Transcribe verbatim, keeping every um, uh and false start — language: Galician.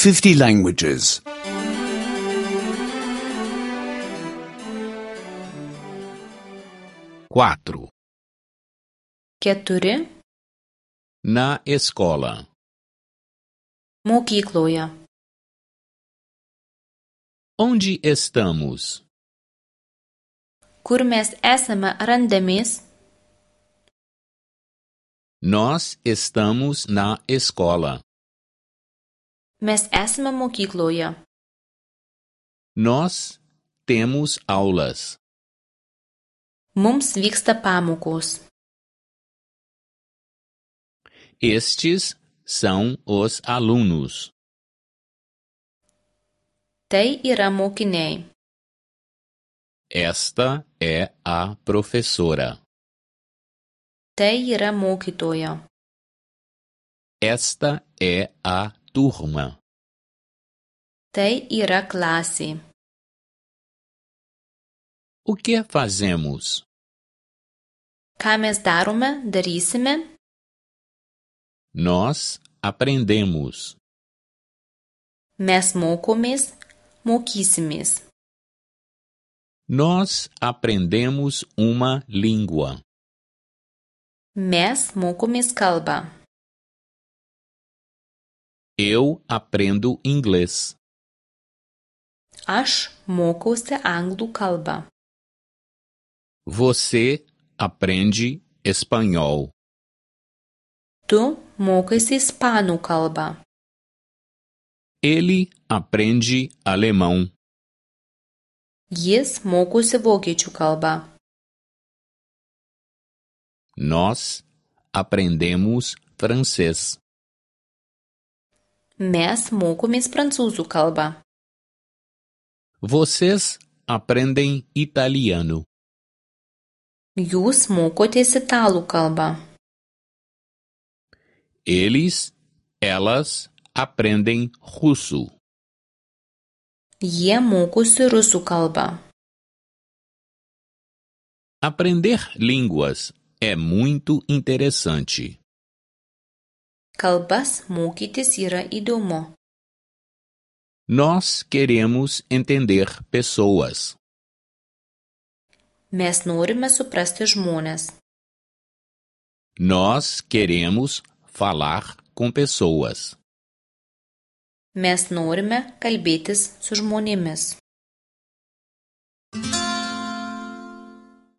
fifty languages. Quatro. Keturi. Na escola. Mokykloje. Onde estamos? Kur mes esame randamės? Nós estamos na escola. Mes esame mokykloje. Nós temos aulas. Mums vyksta pamokos. Estes são os alunos. Tai yra mokiniai. Esta é a professora. Tai yra mokytoja. Esta é a turma. Tai yra klasė. O que fazemos? Ką mes darome, darysime? Nós aprendemos. Mes mokomės, mokysimės. Nós aprendemos uma língua. Mes mokomės kalbą. Eu aprendo inglês. Aš mokausi anglų kalbą. Você aprende espanhol. Tu mokaisi ispanų kalbą. Ele aprende alemão. Jis mokosi vokiečių kalbą. Nós aprendemos francês. Mes mokomės prancūzų kalbą. Vocês aprendem italiano. Jūs mokotės italų kalbą. Eles, elas aprendem russo. Jie mokosi rusų kalbą. Aprender línguas é muito interessante. Kalbas mokytis yra įdomu. Nós queremos entender pessoas. Mes norime suprasti žmones. Nós queremos falar com pessoas. Mes norime kalbėtis su žmonėmis.